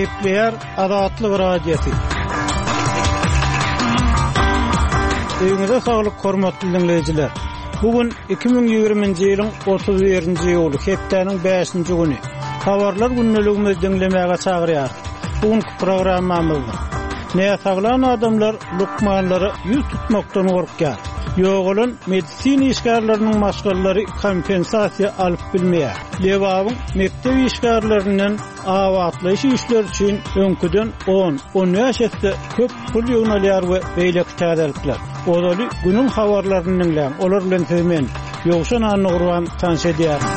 Gepleýär Azatlyk Radiosy. Öýüňize saglyk hormatly diňleýjiler. Bu gün 2020-nji ýylyň 31-nji iýuly, hepdäniň 5-nji güni. Habarlar gündeligimizi diňlemäge çagyrýarys. Bu günki programmamyzda näsaglan adamlar lukmanlara ýüz tutmakdan gorkýar. Ýogalan medisina işgärleriniň maşgalalary kompensasiýa alyp bilmeýär. Lebabyň mekdep işgärlerinden abatlaýyş işleri üçin öňküden on, on bäş esse köp pul ýygnalýar we beýleki täzelikler. Ozaly günüň habarlaryny diňläň, olar bilen sizi men, Ýowşan Annagurban tanyş edýärin.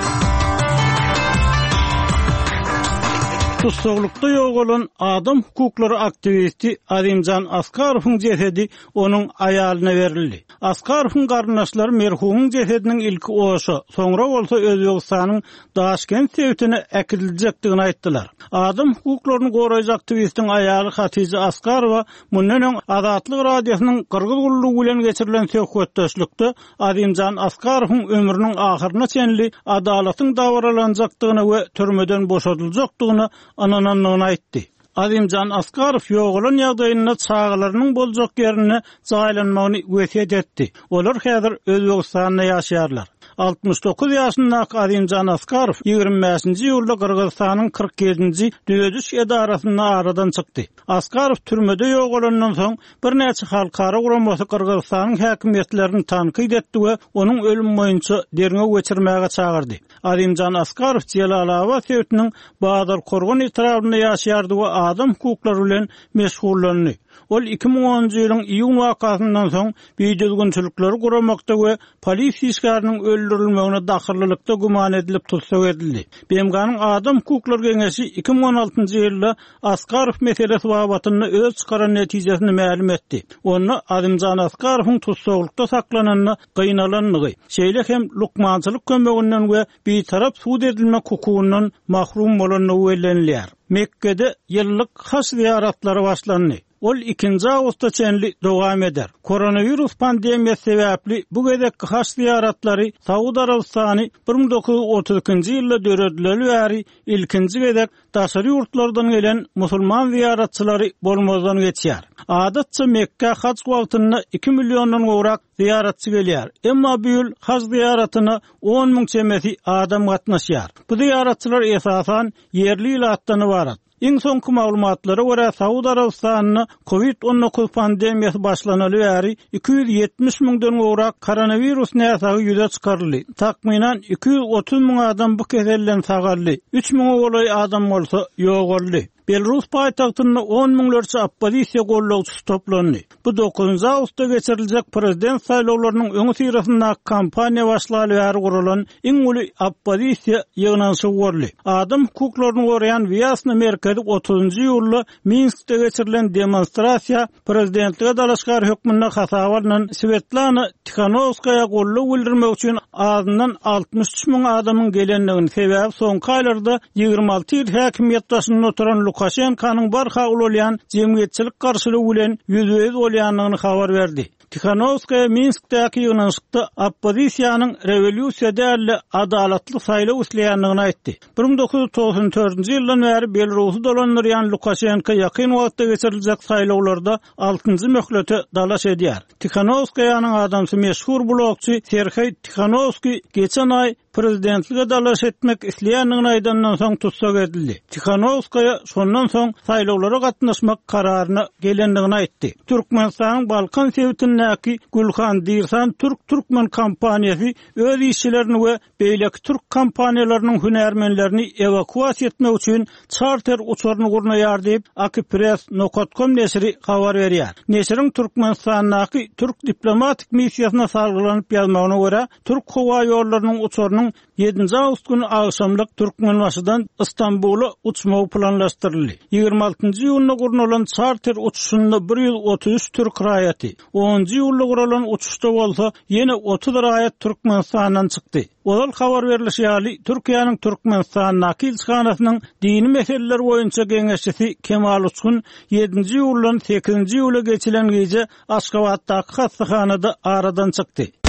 Tussaglykda ýogalan adam hukuklary aktiwisti Azimjan Askarowyň jesedi onuň aýalyna berildi. Askarowyň garyndaşlary merhumyň jesediniň ilki Oşa, soňra bolsa Özbegistanyň Daşkent sebitine äkidiljekdigini aýtdylar. Adam hukuklaryny goraýjy aktiwistiň aýaly Hatija Askarowa mundan öň Azatlyk Radiosynyň Gyrgyz gullugy bilen geçirilen söhbetdeşlikde Azimjan Askarowyň ömrüniň ahyryna çenli adalatyň dabaralanjakdygyna we türmeden boşadyljakdygyna ynanandygyny aýtdy. Azimjan Askarow ýogalan ýagdaýynda çagalarynyň boljak ýerinde jaýlanmagyny wesýet etdi. Olar häzir Özbegistanda ýaşaýarlar. 69 ýaşyndaky Azimjan Askarow 25-nji iýulda Gyrgyzystanyň 47-nji düzediş edarasynda aradan çykdy. Askarow türmede ýogalandan soň, birnäçe halkara guramasy Gyrgyzystanyň häkimiýetlerini tankyt etdi we onuň ölümi boýunça derňew geçirmäge çagyrdy. Azimjan Askarow Jelalabat sebitiniň Bazarkorgan etrabynda ýaşaýardy we adam hukuklary bilen meşgullandy. Ol 2010-njy ýylyň iýun wakasyndan soň bidüzgünçilikleri guramakda we polisiýa işgäriniň öldürilmegine dahyllylykda güman edilip tussag edildi. BMG-niň Adam hukuklary geňeşi 2016-njy ýylda Askarow meselesi babatynda öz çykaran netijesini mälim etdi. Onda Azimjan Askarowyň tussaglykda saklananda gynalandygy, şeýle hem lukmançylyk kömeginden we bitarap sud edilmek hukugyndan mahrum bolandygy bellenilýär. Mekgede ýyllyk haj zyýaratlary başlandy. Ol ikinji awgusta çenli dowam eder. Koronawirus pandemiýasy sebäpli bu gezekki haj zyýaratlary Saud Arabystany 1932-nji ýylda döredileli bäri ilkinji gezek daşary ýurtlardan gelen musulman zyýaratçylary bolmazdan geçýär. Adatça Mekgä haj wagtynda iki milliondan gowrak zyýaratçy gelýär. Emma bu ýyl haj zyýaratyna on müň çemesi adam gatnaşýar. Bu zyýaratçylar esasan ýerli ilatdan ybarat. Iň soňky maglumatlara görä, Saud Arabystanynda Covid 19 pandemiýasy başlanaly bäri 270 müňden gowrak koronawirus näsagy ýüze çykaryldy. Takmynan 230 müň adam bu keselden sagaldy, üç müňe golaý adam bolsa ýogaldy. Belarus paýtagtynda on müňlerçe oppozisiýa goldawçysy toplandy. Bu dokuzynjy awgustda geçiriljek prezident saýlawlarynyň öňüsyrasyndaky kampaniýa başlaly bäri guralan iň uly oppozisiýa ýygnanyşygy boldy. Adam hukuklaryny goraýan Wýasna merkezi otuzynjy iýulda Minskde geçirilen demonstrasiýa prezidentlige dalaşgär hökmünde hasaba alnan Swetlana Tihanowskaýa goldaw bildirmek üçin azyndan 63 müň adamyň gelendigini, sebäbi soňky aýlarda 26 ýyl häkimiýet başynda oturan Lukaşenkanyň barha ulalýan jemgyýetçilik garşylygy bilen ýüzbe-ýüz bolýandygyny habar berdi. Tihanowskaýa Minskdäki ýygnanyşykda oppozisiýanyň rewolýusiýa däl-de, adalatly saýlaw isleýändigini aýtdy. 1994-nji ýyldan bäri Belarusy dolandyrýan Lukaşenko ýakyn wagtda geçiriljek saýlawlarda altynjy möhlete dalaş edýär. Tihanowskaýanyň adamsy meşhur blogçy Serheý Tihanowskiý geçen aý prezidentlige dalaş etmek isleýändigini aýdandan soň tussag edildi. Tihanowskaýa şondan soň saýlawlara gatnaşmak kararyna gelendigini aýtdy. Türkmenistanyň Balkan sebitindäki Gülhan Dirsan türk-türkmen kompaniýasy öz işçilerini we beýleki türk kompaniýalarynyň hünärmenlerini ewakuasiýa etmek üçin çarter uçaryny gurnaýar diýip, Akipress nokat kom neşiri habar berýär. Neşiriň Türkmenistandaky türk diplomatik missiýasyna salgylanyp ýazmagyna görä, Türk howa ýollarynyň uçarynyň ýedinji awgust güni agşamlyk Türkmenbaşydan Stambula uçmagy planlaşdyryldy. Ýigrimi altynjy iýunda gurnalan çarter uçuşynda 133 türk raýaty, onunjy iýulda guralan uçuşda bolsa ýene 30 raýat Türkmenistandan çykdy. Ozal habar berlişi ýaly, Türkiýäniň Türkmenistandaky ilçihanasynyň dini meseleler boýunça geňeşçisi Kemal Uçgun ýedinji iýuldan sekizinji iýula geçilen gije Aşgabatdaky hassahanada aradan çykdy.